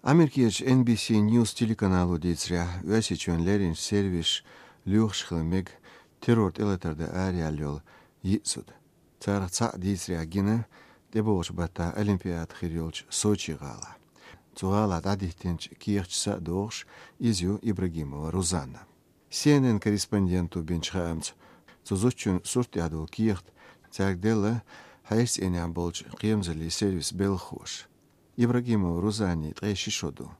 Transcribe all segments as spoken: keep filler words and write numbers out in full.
Америкерчу Н Б С News телеканало дийцарехь, Оьрсийчоьнан леринчу сервисаша лоьхуш хила мега террор тӀелатар дан араяьлла йолу йиъ зуда. Царах цхьаъ дийцарехь гина тӀебогӀучу баттахь Олимпиада хир йолчу Сочи гӀалахь. Цу гӀалахь дӀадиттинчу кехаташца а догӀуш, иза ю Ибрагимова Рузанна. Си Эн Эн корреспонденто бинчу хаамца, цу зудчун сурт тӀехь долу кехат цаьрга делла хьешан цӀийнехь болчу кхерамзаллин сервисан белхахоша. Ибрагимова Рузаннин ткъе ши шо ду.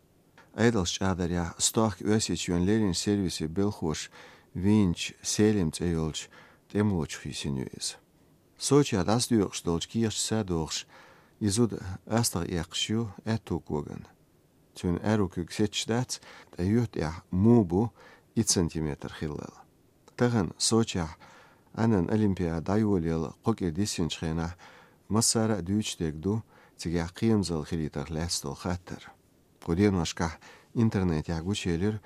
Ӏедалша чӀагӀдарехь, стохка Оьрсийчоьнан леринчу сервисан белхахоша вийначу Селим цӀе йолчу тӀемалочух йисина ю иза. Сочехь дӀасадоькъуш долчу кехаташца а догӀуш, и зуда астагӀа эккхаш ю аьтту когана. Цуьнан аьрру куьг сетташ дац, ткъа юьхь тӀехь мух бу итт сантиметр хиллал. Тахана Сочехь Ӏаьнан Олимпиада дӀайолаялла кхо кӀира диссинчу хенахь массара а дуьйцуш дерг ду цигахь кхерамзалла хилийтарх лаьцна долу хаттар. Кху деношкахь интернетехь гучуелира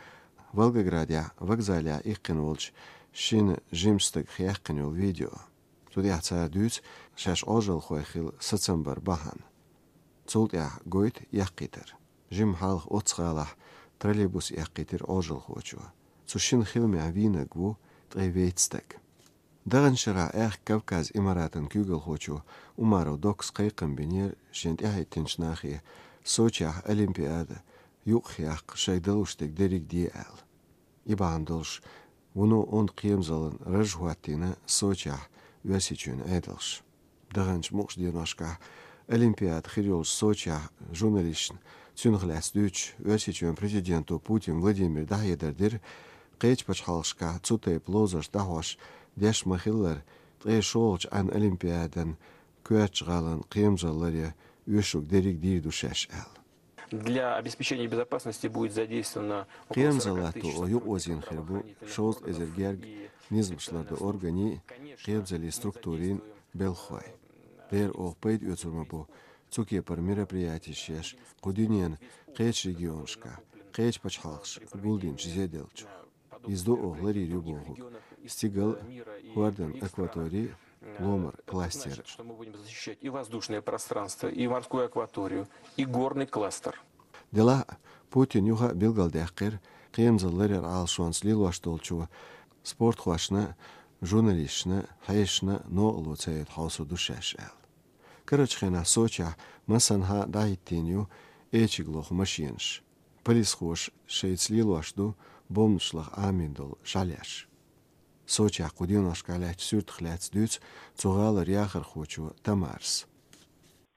Волгоградехь вокзалехь иккхина волчу шина жимачу стагах яьккхина йолу видео. Цу тӀехь цара дуьйцу шаьш Ӏожалхой хила сацам бар бахьана. Цул тӀаьхьа гойту эккхийтар. Жимма хьалха оццу гӀалахь троллейбус эккхийтира Ӏожалхочо. Цу шина хиламехь вийнарг ву ткъе вейтта стаг. Даханчу шарахь Аьхка Кавказ Имаратан куьйгалхочо Умаров Докас кхайкхам бинера шен тӀаьхьахӀиттинчу нахе Сочехь Олимпиада юкъахъяккха шайга далуш дерг дерриг де аьлла. И бахьана долуш, вуно онда кхерамзаллин раж хӀоттийна Сочехь Оьрсийчоьнан Ӏедалша. Даханчу мукъачу деношкахь Олимпиада хир йолчу Сочехь журналисташна цуьнах лаьцна дуьйцуш, Оьрсийчоьнан президенто Путин Владимира дӀахьедар дира, кхечу пачхьалкхашкахь цу тайпа ловзарш дӀахьош деш ма-хиллара, ткъе шолгӀачу Ӏаьнан Олимпиадан коьртачу гӀалин кхерамзалла ларъян оьшург дерриг дийр ду шаьш аьлла. Для обеспечения безопасности будет задействовано около сорока тысяч сотрудников правоохранительных органов и, конечно, следует, конечно, кхерамзаллин структурийн белхахой. Дера оха пайда оьцур ма бу цу кепара мероприятеш еш кху дуьненан кхечу регионашкахь, кхечу пачхьалкхаша гулдинчу зеделлачух. Иза ду оха ларйийр ю бохург: стигал, хӀордан акватори, ломара кластер. Значит, что мы будем защищать и воздушное пространство, и морскую акваторию, и горный кластер. Делахь а Путина юха а билгалдаьккхира, кхерамзалла ларъяран Ӏалашонца лелош долчо спортхошна, журналисташна, хьешашна новкъарло ца яйта хьовсур ду шаьш аьлла. Карарчу хенахь Сочехь массанхьа а дӀахӀиттийна ю эчиг лоху машенаш. Полисхоша шайца лелош ду бомбанаш лаха Ӏамийна долу шалеш. Сочехь кху деношкахь лаьттачу суьртах лаьцна дуьйцу цу гӀалара яхархочо Тамарас.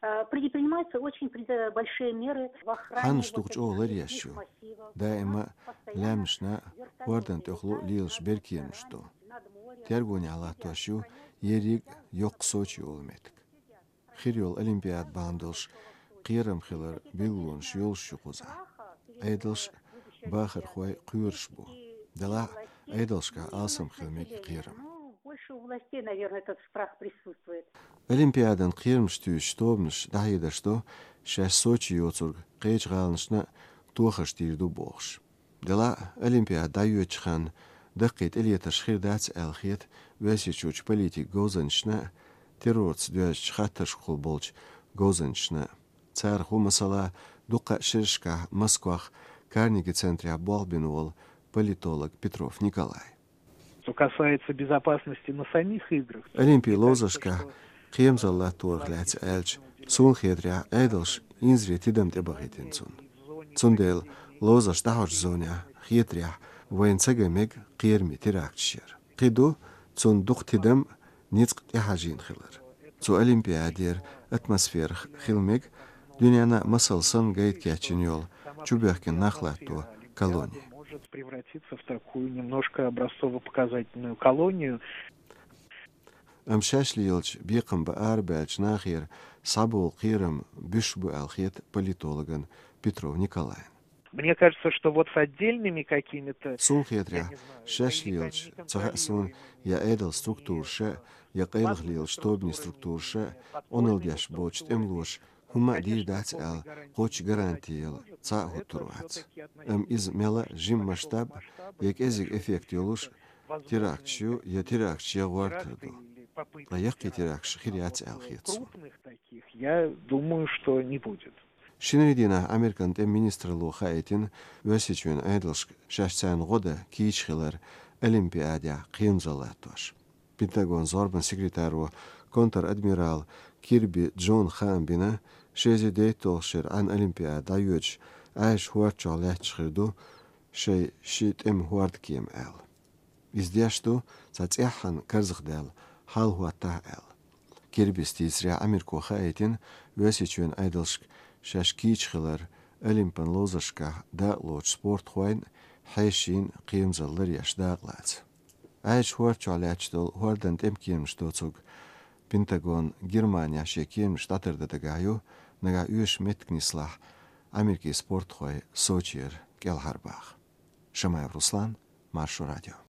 Э, предпринимаются очень пред-, большие меры в охране. Хьаннаш вот тух этих чӀогӀа ларъеш ю. Массивов. Даима лаьмнашна, хӀордан тӀехула лелаш беркемаш ду. Тергонехь латтош ю ерриг а йоккха Сочи олу меттиг. Хир йолу Олимпиада бахьана долуш кхерам хилар билгалонаш йолуш ю кхузахь. Ӏедалш а, бахархой а кхоьруш бу. Делахь а Ӏедалшкахь алсам хила мега и кхерам. Ну, больше у властей, наверное, этот страх присутствует. Олимпиадан кхерамаш туьйсучу тобанаш дӀахьедарш до, шаьш Сочи йоцург кхечу гӀаланашна а тохарш дийр ду бохуш. Делахь а Олимпиада дӀайоьдучу ханна даккхий тӀелетарш хир дац аьлла хета Оьрсийчуьрчу политикан говзанчашна а, террорца доьзначу хаттаршкахула болчу говзанчашна а. Царах ву, масала, дуккха а шерашкахь Москвахь Карнеги центрехь болх бина волу политолог Петров Николай. Что касается безопасности на самих играх, Олимпийн ловзаршкахь кхерамзалла латторах лаьцна аьлча, суна хетарехь, Ӏедалша инзаре тидам тӀебахийтина цунна. Цундела ловзарш дӀахьочу зонехь, хетарехь, вайна ца ган мега кхераме теракташ яр. Кхин ду цунна дукха тидам, ницкъ тӀехьажийна хилар. Цу Олимпиадера атмосферах хила мега дуьненна а масал санна гайта кечйина йолу чубоьхкина нах латто колони. Может превратиться в такую немножко образцово-показательную колонию. Амма шаьш лелачу бекхам бан арабаьллачу нахера схьаболу кхерам буьсуш бу аьлла хета политологна Петров Николайна. Мне кажется, что вот с отдельными какими-то, суна хетарехь, я не знаю, шаьш лелачу, ца хаьа суна, я Ӏедалан структураша, я къайлаха лелачу тобанийн структураша Ӏуналла деш боцучу тӀемалоша хӀумма а дийр дац аьлла кхоччуш гаранти яла цхьа а хӀуттур вац. Амма иза мел а жима масштаб я кӀеззиг эффект йолуш теракташ ю, я теракташ ян гӀортор ду. Ткъа яккхий теракташ хир яц аьлла хета суна. Крупных таких, я думаю, что не будет. Шинарин дийнахь Американ тӀеман министралло хаийтина Оьрсийчоьнан Ӏедалшка шаьш царна гӀо дан кийча хилар Олимпиадехь кхерамзалла латтош. Пентагонан зорбанан секретаро, контр-адмирал Кирби Джона хаам бина, ши эзар дейтталгӀачу шеран Ӏан Олимпиада дӀайоьдуш Ӏаьржачу хӀорда чохь лаьтташ хир ду шайн ши тӀеман хӀордкема аьлла. Иза деш ду цхьа цӀеххьана карзахдаьлла хьал хӀоттахь аьлла. Кирбис дийцарехь, Америко хаийтина Оьрсийчоьнан Ӏедалшка шаьш кийча хилар Олимпан ловзаршкахь дакъалоцучу спортхойн а, хьешийн а кхерамзалла ларъеш дакъалаца. Ӏаьржачу хӀорда чохь лаьтташ долу хӀордан тӀеман кеманаш доцург Пентагон Германехь шен кеманаш дӀатардан дагахь ю, нагахь оьшуш меттиг нислахь, Америкин спортхой Сочера кӀелхьарбаха. Шамаев Руслан, Маршо радио.